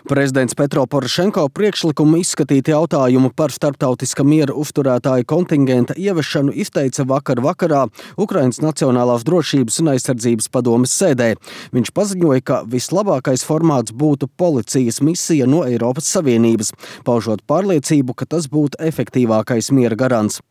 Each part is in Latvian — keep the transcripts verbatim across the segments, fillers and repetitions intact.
Prezidents Petro Porošenko priekšlikumu izskatīt jautājumu par starptautiska miera uzturētāju kontingenta ieviešanu izteica vakar vakarā Ukrainas Nacionālās drošības un aizsardzības padomes sēdē. Viņš paziņoja, ka vislabākais formāts būtu policijas misija no Eiropas Savienības, paužot pārliecību, ka tas būtu efektīvākais miera garants.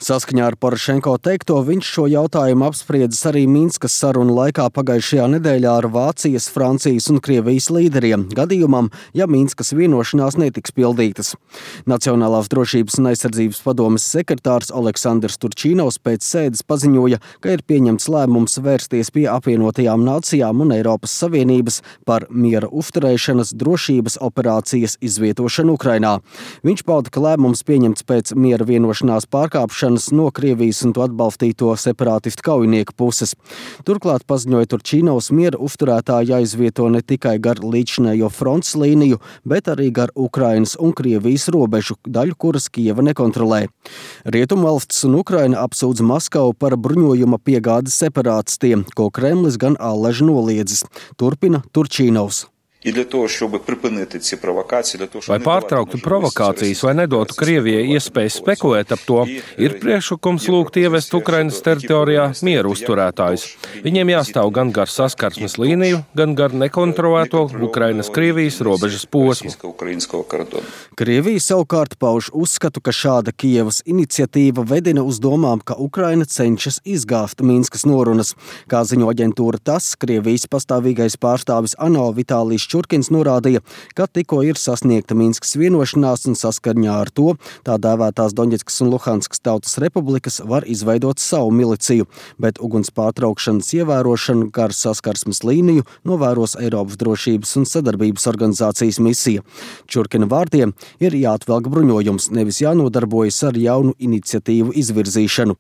Saskaņā ar Porošenko teikto, viņš šo jautājumu apspriedzis arī Minskas sarunu laikā pagājušajā nedēļā ar Vācijas, Francijas un Krievijas līderiem, gadījumam, ja Minskas vienošanās netiks pildītas. Nacionālās drošības un aizsardzības padomes sekretārs Aleksandrs Turčīnovs pēc sēdes paziņoja, ka ir pieņemts lēmums vērsties pie apvienotajām nācijām un Eiropas Savienības par miera uzturēšanas drošības operācijas izvietošanu Ukrainā. Viņš pauda, ka lēmums pieņemts pēc miera vienošanās pārkāpšanas no Krievijas un to atbalstīto separātistu kaujinieku puses. Turklāt paziņoja Turčīnovs, miera uzturētāji jāizvieto ne tikai gar līdzinējo frontes līniju, bet arī gar Ukrainas un Krievijas robežu, daļu kuras Kijeva nekontrolē. Rietumvalstis un Ukraina apsūdz Maskavu par bruņojuma piegādes separātistiem, ko Kremlis gan allaži noliedzis. Turpina Turčīnovs. Lai pārtrauktu provokācijas vai nedotu Krievijai iespēju spekulēt ap to, ir priekšlikums lūgt ievest Ukrainas teritorijā mieru uzturētājus. Viņiem jāstāv gan gar saskarsmes līniju, gan gar nekontrolēto Ukrainas-Krievijas robežas posmu. Krievija savukārt pauž uzskatu, ka šāda Kijevas iniciatīva vedina uz domām, ka Ukraina cenšas izgāzt Minskas norunas. Kā ziņo aģentūra TASS, Krievijas pastāvīgais pārstāvis ANO Vitālijs Čurkins norādīja, ka tikko ir sasniegta Minskas vienošanās un saskaņā ar to tā dēvētās Doņetskas un Luhanskas tautas republikas var izveidot savu miliciju, bet uguns pārtraukšanas ievērošanu gar saskarsmes līniju novēros Eiropas drošības un sadarbības organizācijas misija. Čurkina vārdiem ir jāatvelk bruņojums, nevis jānodarbojas ar jaunu iniciatīvu izvirzīšanu.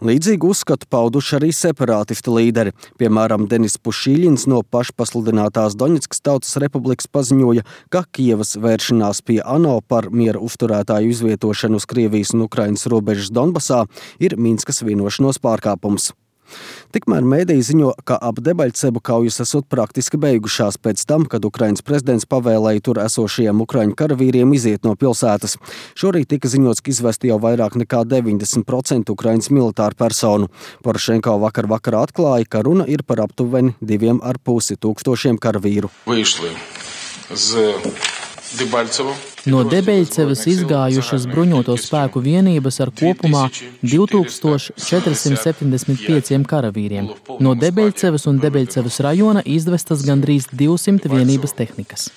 Līdzīgu uzskatu pauduši arī separātistu līderi. Piemēram, Denis Pušīļins no pašpasludinātās Doņetskas tautas republikas paziņoja, ka Kijevas vēršanās pie ANO par miera uzturētāju izvietošanu uz Krievijas un Ukrainas robežas Donbasā ir Minskas vienošanos pārkāpums. Tikmēr mēdīji ziņo, ka ap Debaļcebu kaujas esot praktiski beigušās pēc tam, kad Ukrainas prezidents pavēlēja tur esošajiem ukraiņu karavīriem iziet no pilsētas. Šorīt tika ziņots, ka izvesti jau vairāk nekā deviņdesmit procenti Ukrainas militāru personu. Porošenko vakar vakarā atklāja, ka runa ir par aptuveni diviem ar pusi tūkstošiem karavīru. No Debeļcevas izgājušas bruņoto spēku vienības ar kopumā divi tūkstoši četri simti septiņdesmit pieci karavīriem. No Debeļcevas un Debeļcevas rajona izvestas gandrīz divsimt vienības tehnikas.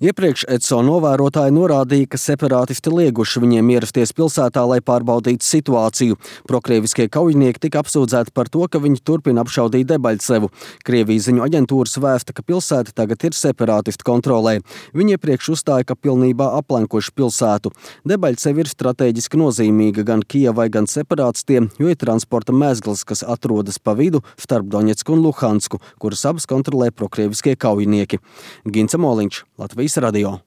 Iepriekš E C O novērotāji norādīja, ka separātisti lieguši viņiem ierasties pilsētā, lai pārbaudītu situāciju. Prokrieviskie kaujinieki tika apsūdzēti par to, ka viņi turpina apšaudīt Debaļcevu. Krievijas ziņu aģentūras vēsta, ka pilsēta tagad ir separātistu kontrolē. Viņi iepriekš uzstāja, ka pilnībā aplenkuši pilsētu. Debaļceva ir strateģiski nozīmīga gan Kijevai, gan separātistiem, jo ir transporta mezgls, kas atrodas pa vidu starp Doņetsku un Luhansku, kuras abas kontrolē prokrieviskie kaujinieki. Gints Moliņš, Latvijas radio.